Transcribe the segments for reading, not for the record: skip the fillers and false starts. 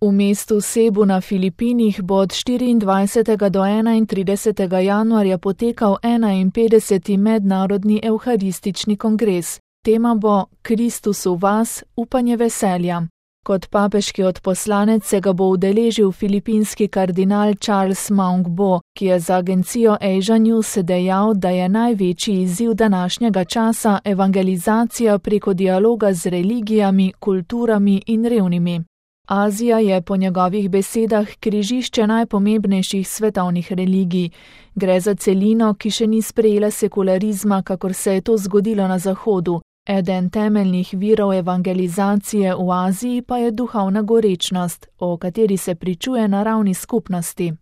V mestu Cebu na Filipinih bo od 24. do 31. januarja potekal 51. mednarodni evharistični kongres. Tema bo Kristus v vas, upanje veselja. Kot papeški odposlanec se ga bo udeležil filipinski kardinal Charles Maungbo, ki je za agencijo Asia News dejal, da je največji izziv današnjega časa evangelizacija preko dialoga z religijami, kulturami in revnimi. Azija je po njegovih besedah križišče najpomembnejših svetovnih religij. Gre za celino, ki še ni sprejela sekularizma, kakor se je to zgodilo na Zahodu. Eden temeljnih virov evangelizacije v Aziji pa je duhovna gorečnost, o kateri se pričuje na ravni skupnosti.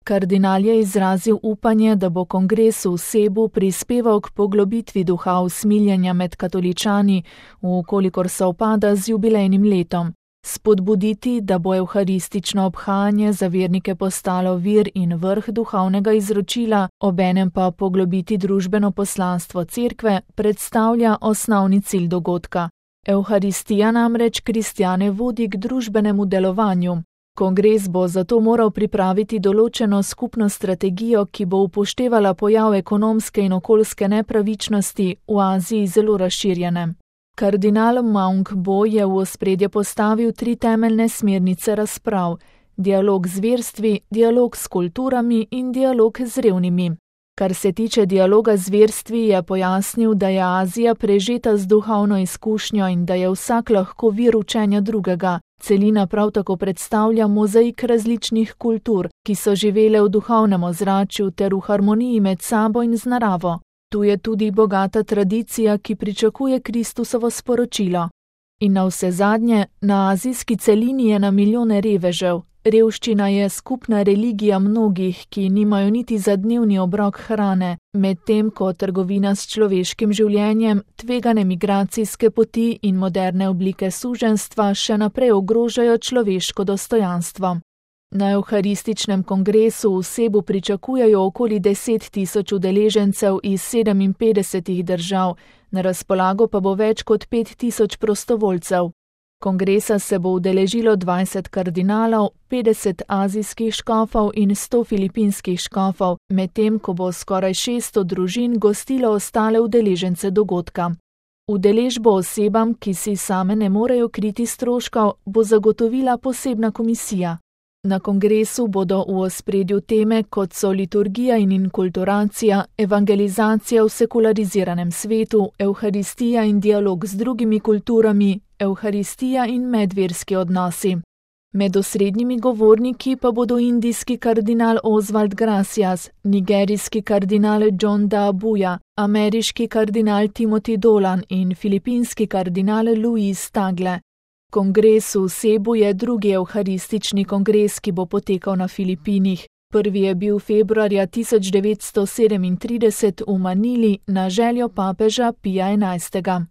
Kardinal je izrazil upanje, da bo kongres v Cebu prispeval k poglobitvi duha usmiljenja med katoličani, vkolikor sovpada z jubilejnim letom. Spodbuditi, da bo evharistično obhajanje za vernike postalo vir in vrh duhovnega izročila, obenem pa poglobiti družbeno poslanstvo cerkve, predstavlja osnovni cilj dogodka. Evharistija namreč kristjane vodi k družbenemu delovanju. Kongres bo zato moral pripraviti določeno skupno strategijo, ki bo upoštevala pojav ekonomske in okoljske nepravičnosti v Aziji zelo razširjene. Kardinal Maungbo je v ospredje postavil 3 temeljne smernice razprav: dialog z verstvi, dialog s kulturami in dialog z revnimi. Kar se tiče dialoga z verstvi, je pojasnil, da je Azija prežeta z duhovno izkušnjo in da je vsak lahko vir učenja drugega. Celina prav tako predstavlja mozaik različnih kultur, ki so živele v duhovnem ozračju ter v harmoniji med sabo in z naravo. Tu je tudi bogata tradicija, ki pričakuje Kristusovo sporočilo. In navsezadnje, na azijski celini je na milijone revežev. Revščina je skupna religija mnogih, ki nimajo niti za dnevni obrok hrane, medtem ko trgovina s človeškim življenjem, tvegane migracijske poti in moderne oblike suženjstva še naprej ogrožajo človeško dostojanstvo. Na evharističnem kongresu v Cebu pričakujejo okoli 10.000 udeležencev iz 57 držav, na razpolago pa bo več kot 5.000 prostovoljcev. Kongresa se bo udeležilo 20 kardinalov, 50 azijskih škofov in 100 filipinskih škofov, medtem ko bo skoraj 600 družin gostilo ostale udeležence dogodka. Udeležbo osebam, ki si same ne morejo kriti stroškov, bo zagotovila posebna komisija. Na kongresu bodo v ospredju teme, kot so liturgija in inkulturacija, evangelizacija v sekulariziranem svetu, evharistija in dialog z drugimi kulturami, evharistija in medverski odnosi. Med osrednjimi govorniki pa bodo indijski kardinal Oswald Gracias, nigerijski kardinal John Da Abuja, ameriški kardinal Timothy Dolan in filipinski kardinal Luis Tagle. Kongres v Cebu je drugi evharistični kongres, ki bo potekal na Filipinih. Prvi je bil februarja 1937 v Manili na željo papeža Pija XI.